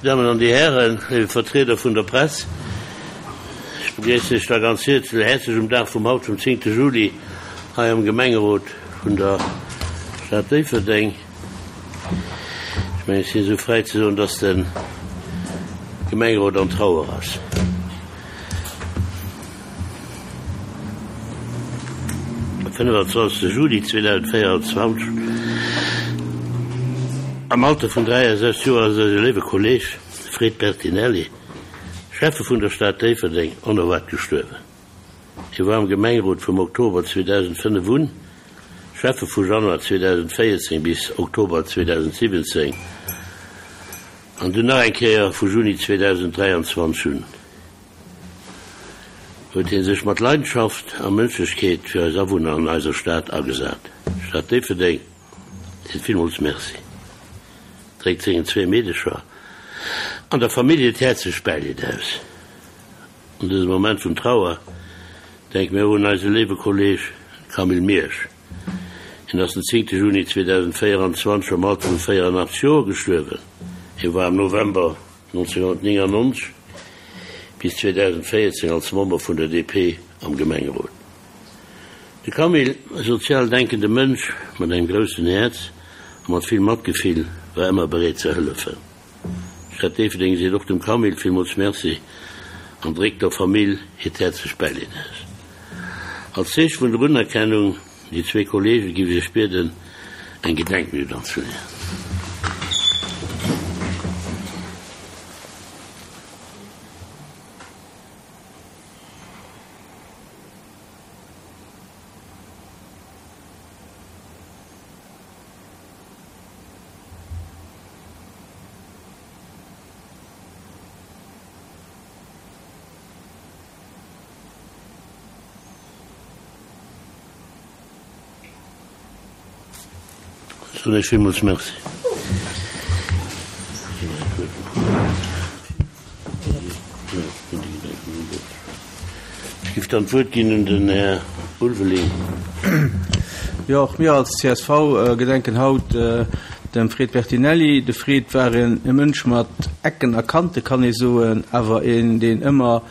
Dammen an Dir Hären, léiwe Vertrieder vun der Press, ech begréissen Iech da ganz häerzlech um Dag vum haut, vum zéngte Juli, hei am Gemengerot vun der Stad Déifferdeng. Ech mengen, ech sinn esou fräi ze soen, dass de Gemengerot an Trauer ass. 25 Juli 2024, Am Alter vun 63 Joer ass eise léiwe Kolleeg Fred Bertinelli, Schäffe vun der Stad Déifferdeng, onerwaart gestuerwen. Hie war am Gemengerot vum Oktober 2005 un, Schäffe vu Januar 2014 bis Oktober 2017 an dunn nach eng Kéier vu Juni 2023 un. Huet hie sech mat Leidenschaft a Mënschlechkeet fir eis Awunner an eiser Stad agesat. D'Stad Déifferdeng seet villmools Merci, dréckt sengen zwee Meedecher an der Famill hiert häerzlecht Bäileed aus. An dësem Moment vun Trauer denke mir och un eise léiwe Kolleeg Camille Miersch. Hien ass den 10 Juni 2024 am Alter vu 84 Joer gestuerwen. Hie war am November 1999 bis 2014 als Member vun der DP am Gemengerot. De Camille, e sozial denkende Mënsch mat engem groussen Häerz a mat vill Matgefill, war ëmmer bereet ze hëllefen. D'Stad Déifferdeng seet och dem Camille villmools Merci an dréckt der Famill hiert häerzlecht Bäileed aus. Als Zeeche vun der Unerkennung un déi zwee Kollege géif ech Iech bieden, eng Gedenkminutt anzeleeën. Soen Iech villmools Merci. Ech géif dann d'Wuert ginn un den Här Ulveling. Jo, och mir als csv gedenken haut dem Fred Bertinelli. De Fred war e Mënsch mat Ecken a Kante, kann ee soen, awer een, deen ëmmer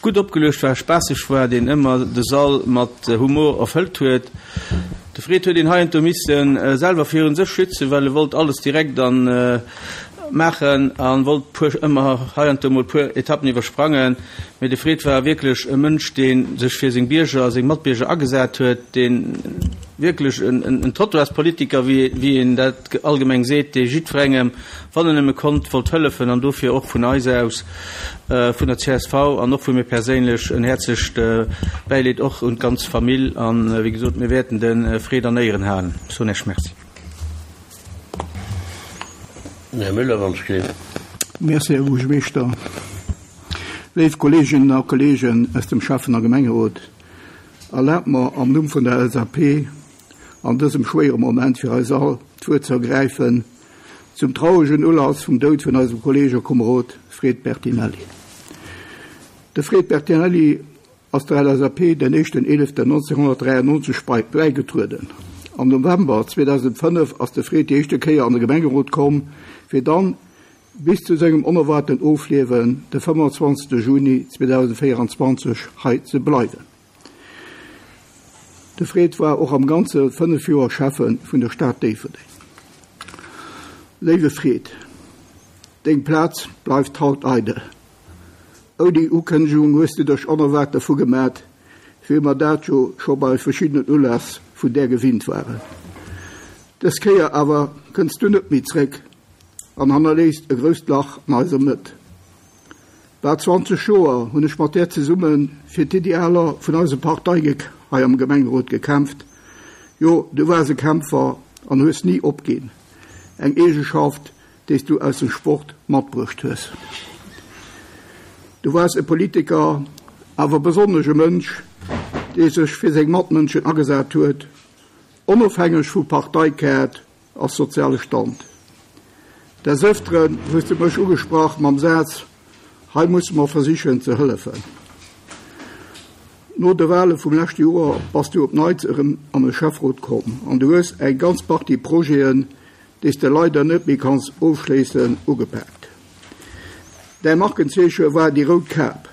gutt opgeluecht war, spaasseg war, deen ëmmer de Sall mat Humor erfëllt huet. De Fred huet een heiansdo misse selwer virun sech schützen, well e wollt alles direkt an maachen a wollt puer ëmmer heiansdo mol puer Etappen iwwersprangen. Mee de Fred war wierklech e Mënsch, dee sech fir seng Bierger, seng Matbierger agesat huet, dee wierklech en Trottoirspolitiker, wéi een dat allgemeng seet, dee jiddwerengem, wann en nëmme konnt, wollt hëllefen an dofir och vun eis aus, vun der csv an och vu mir perséinlech en häerzlecht Bäileed och un d'ganz Famill an wéi gesot, mir wäerten de Fred an Éieren halen. Ech soen Iech Merci. Här Müller, wann ech géif. Merci, Här Buergermeeschter. Léif Kolleeginnen a Kolleegen aus dem Schäffen a Gemengerot, erlaabt mer am Numm vun der LSAP an dësem schwéiere Moment fir eis all d'Wuert ze ergräifen zum trauregen Ulass vum Doud vun eisem Kolleeg a Komerod Fred Bertinelli. De Fred Bertinelli ass der LSAP den éischten 11.1993 bäigetrueden. Am November 2005 ass de Fred déi éischte Kéier an de Gemengerot komm, fir dann bis zu sengem onerwaarten Ofliewen de 25. Juni 2024 hei ze bleiwen. De Fred war och am Ganze 5 Joer Schäffe vun der Stad Déifferdeng. Léiwe Fred, deng Plaz bleift haut eidel. Ouni Ukënnegung hues de dech onerwaart dervu gemat, wéi mer dat jo scho bei verschiddenen Uläss vun där gewinnt waren. Dës Kéier awer kënns du net méi zréck an hannerléisst e grousst Lach an eiser Mëtt. Bal 20 Joer hunn ech mat där zesumme fir d'Idealer vun eiser Partei hei am Gemengerot gekämpft. Jo, du waars e Kämpfer an hues ni opginn, eng Eegeschaft, déi s du aus dem Sport matbruecht hues. Du waars e Politiker, awer besonnesch e Mënsch, dee sech fir seng Matmënschen agesat huet, onofhängeg vu Parteikaart a soziale Stand. Des Ëfteren hues du mech ugesprach mam Saz, Hei musse mer versichen ze hëllefen. No de Wale vum leschte Joer bass du op Neits erëm an de Schäfferot komm an du hues eng ganz Partie Projeten. déi s de leider net méi kanns ofschléissen, ugepaakt. Däi Markenzeeche war déi rout Kap,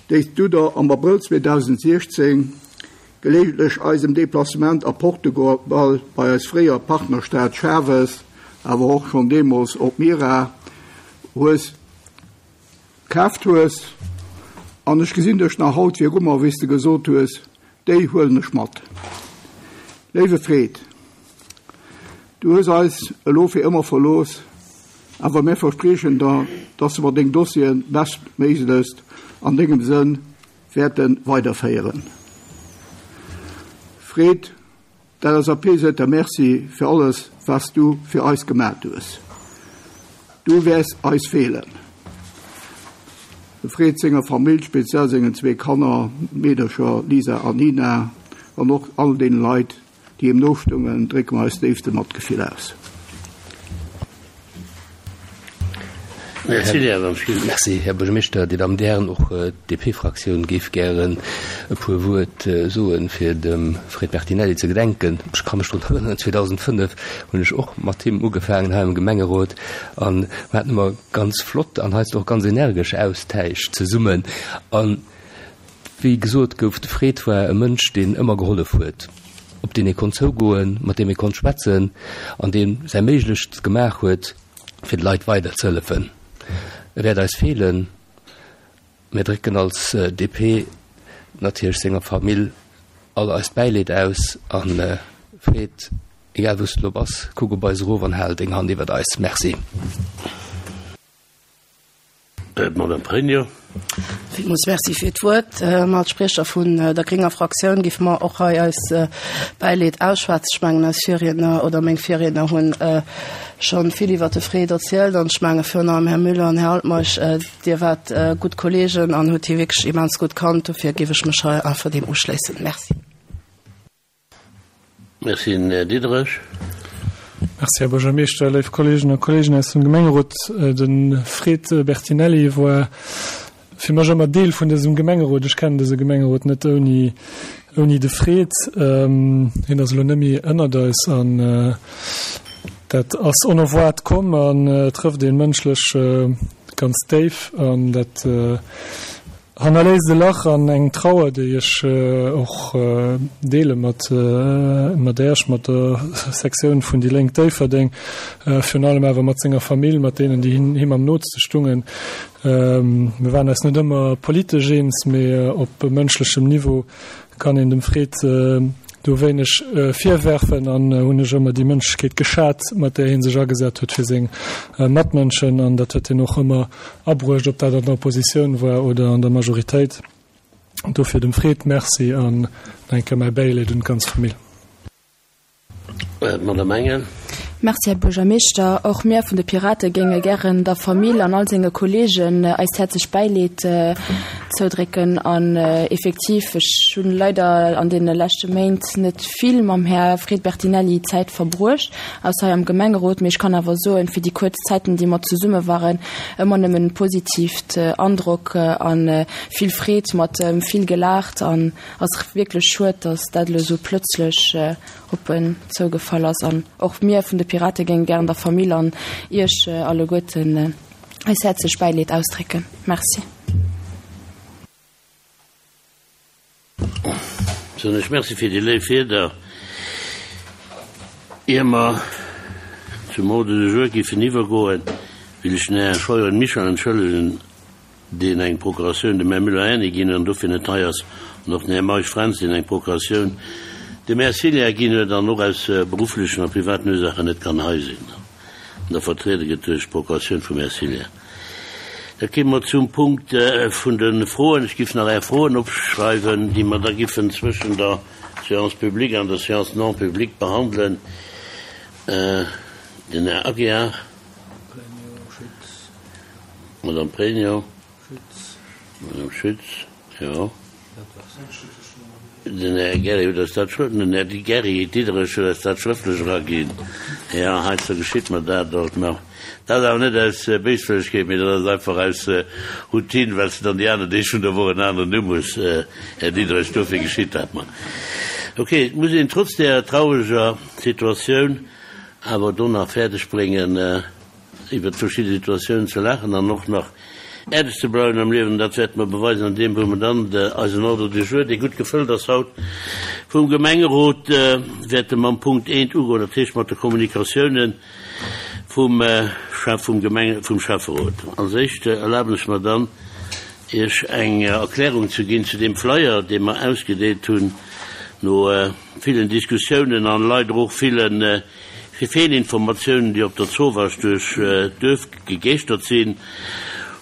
déi s du der am Abrëll 2016 gelegentlech eisem Deplacement a Portugal bei eis fréier Partnerstad Chaves, awer och schonn deemools op Mira, hues kaaft hues. An ech gesinn dech nach haut viru mer, wéi s de gesot hues, Déi huelen ech mat. Léiwe Fred, du hues eis elo fir ëmmer verlooss, awer mär verspriechen der, dass mer deng Dossieren bestméiglechst an dengem Sënn wäerte weiderféieren. Fred, D'LSAP seet der Merci fir alles was du fir eis gemat hues. Du wäers eis feelen. De Fred senger Famill, speziell sengen zwee Kanner, Meedercher Lisa an Nina, an och all deene Leit déi him nostungen, drécke mer eist déifste Matgefill aus. Merci, Här Buergermeeschter, Dir Dammen, Dir Hären. Och d'DP-Fraktioun géif gären e puer Wuert soen, fir dem Fred Bertinelli ze gedenken. Ech ka mech drun erënneren, 2005 hunn ech och mat him ugefaangen hei am Gemengerot a mir haten ëmmer ganz flott an heiansdo och ganz energesch Austäisch zesummen. A wéi gesot gouf, de Fred war e Mënsch, deen ëmmer gehollef huet, op deen ee konnt zougoen, mat deem ee konnt schwätzen an dee säi Méiglechst gemaach huet, fir de Leit weider ze hëllefen. E wäert eis feelen. Mir drécken als DP natierlech senger Famill all eist Bäileed aus. A Fred, egal wou s de elo bass, kuck op eis erof an hal deng Hand iwwert eis. Merci. D'Madame Pregno. Villmools Merci fir d'Wuert. Als Spriecher vun der grénger Fraktioun géife mer och hei eis Bäileed ausschwätzen. Ech mengen, eis Virriedner oder meng Virriedner hunn scho vill iwwert de Fred erzielt an ech menge virun allem Här Müller an Här Altmeisch, Dir waart gutt Kolleegen an hutt hie wierklech immens gutt kannt. Dofir géif ech mech hei einfach deem uschléissen. Merci. Merci, den Här Diderich. Merci, Här Buergermeeschter, léif Kolleegen a Kolleegen aus dem Gemengerot. De Fred Bertinelli war fir mech ëmmer Deel vun dësem Gemengerot. Ech kennen dëse Gemengerot net ouni, ouni de Fred. Hien ass elo net méi ënnert eis an dat ass onerwaart komm an trëfft een mënschlech ganz déif an dat Hannerléisst e Lach an eng Trauer, déi ech och deele mat mat Äech, mat der Sektioun vun déi Lénk Déifferdeng, virun allem awer mat senger Famill, mat deenen, déi him am nootste stungen. Mir waren eis net ëmmer politesch eens, mee op mënschlechem Niveau kann een dem Fred do wéineg virwerfen an hunn ech ëmmer déi Mënschlechkeet geschat, mat där hie sech agesat huet fir seng Matmënschen an dat huet hien och ëmmer abruecht, ob dat an der Oppositioun war oder an der Majoritéit. Dofir dem Fred Merci an nach eng Kéier mäi Bäileed un d'ganz Famill. D'Madame Engel. Merci, Här Buergermeeschter. Och mir vun de Pirate géinge gären der Famill an all senge Kolleegen eist häerzlecht Bäileed zoudrécken. An effektiv, ech hunn leider an deene leschte Méint net vill mam Här Fred Bertinelli Zäit verbruecht, ausser hei am Gemengerot, mee ech kann awer soen, fir déi kuerz Zäiten, déi mer zesumme waren, ëmmer nëmmen positivt Androck a vill Freed, mat vill gelaacht an Ass wierklech schued, dass dat elo sou plötzlech op en zougefall ass. An och mir vun de Pirate géinge gären der Famill an Iech alleguerten eis häerzlech Bäileed ausdrécken. Merci. Soen ech Merci fir déi léif Wierder. Ier mer zum Ordre du jour giffen iwwergoen, will ech den Här Scheuren Michel entschëllegen, deen eng Procuratioun dem Här Müller-Erny ginn huet an dofir net hei ass, an och den Här Meisch Fränz, deen eng Procuratioun dem Här Ciliar ginn huet an och aus berufflechen a privaten Ursaachen net kann hei sinn an da vertriede gëtt duerch d'Procuratioun vum Här Ciliar. Da kéime mer zum Punkt vun de Froen. Ech giff nach Är Froen opschreiwen, déi mer da giffen zwëschen der Séance publique an der Séance non publique behandelen. Den Här Aguiar. Madame Pregno. Madame Schütz, jo. Den Här Gary huet eis dat schrëft, den Här Gary Diderich huet eis dat schrëftlech eraginn. Jo, heiansdo geschitt mer dat alt nach. Dat ass awer net aus Béiswëllegkeet, mee dat ass einfach aus Routine, well s de dann déi aner Deeg vun der Woch en aneren Numm hues, Här Diderich. Dofir geschitt dat mer. Okay, et muss een trotz där traureger Situatioun. awer do nach fäerdeg bréngen, iwwert verschidde Situatiounen ze laachen an och nach äerdeg ze bleiwen am Liewen. Dat wäerte mer beweisen an deem, wou mer dann eisen Ordre du jour, dee gutt gefëllt ass haut vum Gemengerot, wäerte mam Punkt eent ugoen, dat heescht mat de Kommunikatiounen vum Chef vum Gemenge, vum Schäfferot. Als éischt erlaben ech mer dann, Iech eng Erklärung ze ginn zu deem Flyer, dee mer ausgedeelt hunn no villen Diskussiounen an leider och ville Feelinformatiounen, déi op der Zowaasch duerch d'Duerf gegeeschtert sinn,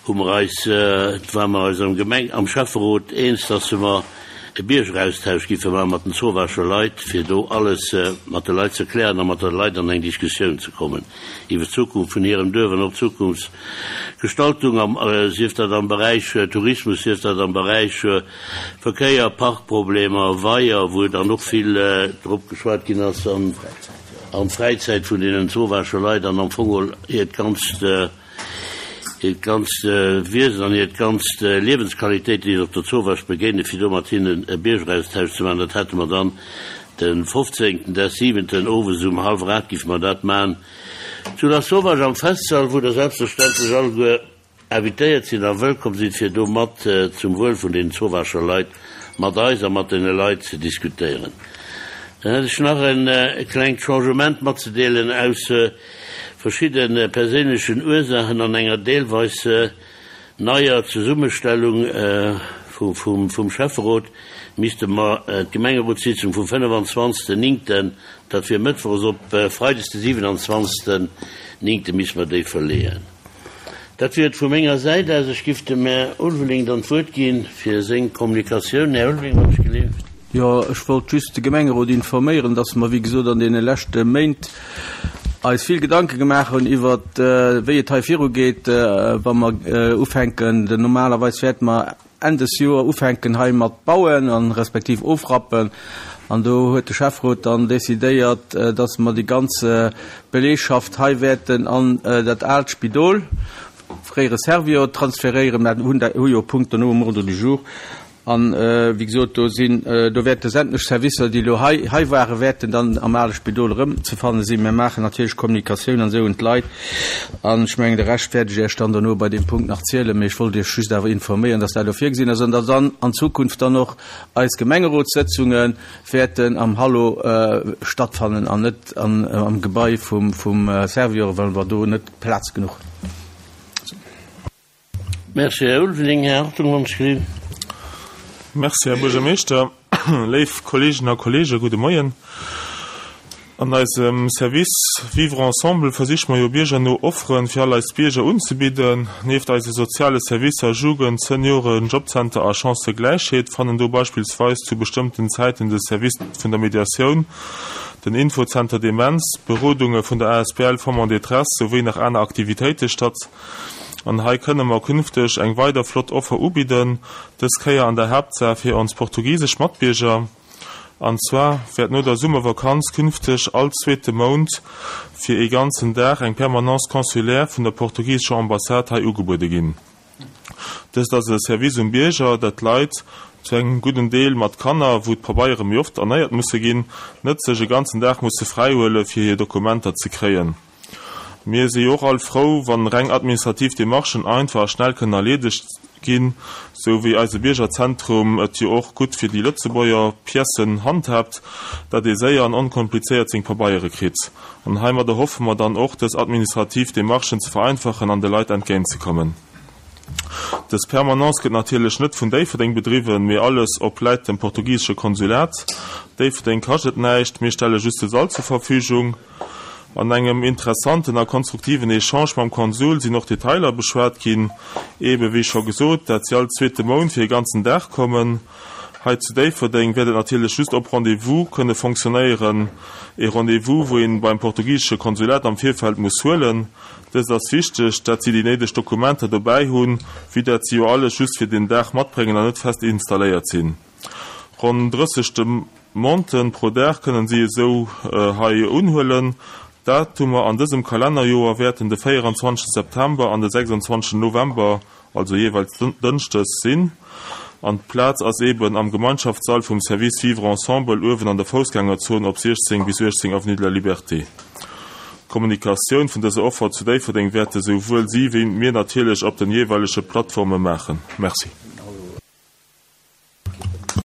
hu mer eis, ware mer eis am Gemeng, am Schäfferot eens, dass mer e Biergeraustausch giffe maache mat den Zowaascher Leit, fir do alles mat de Leit ze klären a mat de Leit an eng Diskussioun ze kommen iwwer d'Zukunft vun hirem Duerf an och d'Zukunftsgestaltung am, sief dat am Beräich Tourismus, sief dat am Beräich Verkéier, Parkproblemer, Weier, wou dann och vill drop geschwat ginn ass, an d'Fräizäit vun deenen Zowaascher Leit an am Fong hiert ganzt, hiert ganzt Wiesen an hiert ganzt Liewensqualitéit, déi se op der Zowaasch begéinen, fir do mat hinnen e Biergeraustausch ze maachen. Dat hate mer dann de 15. Des siwenten owes um hallwer 8 giffe mer dat maachen zu Lasauvage am Festsall, wou der selbstverständlech alleguer invitéiert sinn a wëllkomm sinn, fir do mat zum Wuel vun den Zowascher Leit mat eis a mat deene Leit ze diskutéieren. Dann hätt ech nach e klengt Changement matzedeelen aus verschidde perséinlechen Ursaachen an enger deelweis neier Zesummestellung vum Schäfferot misste mer d'Gemengerotssitzung vum 25. Néngten, dat wier mëttwochs, op freides de 27. Néngte misste mer déi verleeën. Dat wier et vu menger Säit aus. Ech giff dem Här Ulveling dann d'Wuert ginn fir seng Kommunikatioun. Här Ulveling, wann ech geleeft. Jo, ech wollt just de Gemengerot informéieren, dass mer, wéi gesot, an deene leschte Méint eis vill Gedanke gemaach hunn iwwert, wéi et hei virugeet, wa mer ufänken. Normalerweis wäerte mer Enn des Joer ufänken hei mat bauen an respektiv ofrappen. An do huet de Schäfferot dann decidéiert, dass mer déi ganz Belegschaft hei wäerten an dat aalt Spidol, fréiere Servior, transferéieren. Mer hunn dat, hu jo e Punkt dono um Ordre du jour. An, wéi gesot, do sinn, do wäerte sämtlech Servicer, déi elo hei, hei waren, wäerten dann am ale Spidol erëmzefanne sinn. Mer maachen natierlech Kommunikatioun an esou un d'Leit. An ech mengen, de Rescht wäert ech Iech dann dono bei deem Punkt nach zielen. Mee ech wollt Iech just awer informéieren, dass dat elo virgesinn ass an dass dann an Zukunft dann och eis Gemengerotssëtzunge wäerten am Hallo stattfannen an net am Gebai vum Servior, well mer do net Plaz genuch hunn. Merci, Här Ulveling. Här Hartung, wann ech gelift. Merci, Här Buergermeeschter. Léif Kolleeginnen a Kolleegen, gudde Moien. An eisem Service Vivre ensemble versiche mer jo biergerno Offere fir all eis Bierger unzebidden. Nieft eise soziale Servicer Jugend, Senioren, Jobcenter a Chancëgläichheet fannen do beispillsweis zu bestëmmten Zäiten de Service vun der Mediatioun, den Infozenter Demenz, Berodunge vun der asbl Femmes en détresse souwéi nach aner Aktivitéite statt. An hei kënne mer künfteg eng weider flott Offer ubidden, dës Kéier an der Haaptsaach fir ons portugisesch Matbierger. An zwar wäert no der Summervakanz künfteg all zweete Mount fir ee ganzen Dag eng Permanence consulaire vun der portugisescher Ambassade hei ugebuede ginn. Dëst ass e Service um Bierger, dat d'Leit, zu engem gudden Deel mat Kanner, wou d'Pabeiere méi oft erneiert musse ginn, net sech e ganzen Dag musse fräihuele fir hir Dokumenter ze kréien. Mir si jo och all frou, wann reng administrativ Demarchen einfach a schnell kënnen erleedegt ginn, sou wéi eise Biergerzentrum et jo och gutt fir déi Lëtzebuerger Piècen handhaabt, dat ee séier an onkomplizéiert seng Pabeiere kritt. An heimadder hoffe mer dann och, dës administrativ Demarchen ze vereinfachen an de Leit entgéintzekommen. Dës Permanence gëtt natierlech net vun Déifferdeng bedriwwen, mee alles obläit dem portugisesche Konsulat. Déifferdeng kascht et näischt, mir stelle just de Sall zur Verfügung. An engem interessanten a konstruktiven Echange mam Konsul sinn och Detailer beschwat ginn, eebe wéi scho gesot, dat si all zweete Mount fir e ganzen Dag kommen. Hei zu Déifferdeng wäert et natierlech just op Rendez-vous kënne fonctionnéieren, e Rendez-vous, wou een beim portugisesche Konsulat am Virfeld muss huelen. Dëst ass wichteg, dat si déi néideg Dokumenter dobäi hunn, vue dat si jo alles just fir den Dag matbréngen an net fest installéiert sinn. Ronn 30 Demanden pro Dag kënnen si esou hei unhuelen. D'Datumer an dësem Kalennerjoer wäerten de 24 September an de 26 November also jeeweils dënschdes, sinn. An d'Plaz ass eben am Gemeinschaftssall vum Service Vivre Ensemble uewen an der Foussgängerzon op 16 bis 18 Avenue de la Liberté. D'Kommunikatioun vun dëser Offer zu Déifferdeng wäerte souwuel si wéi mir natierlech op den jeeweilege Plattforme maachen. Merci.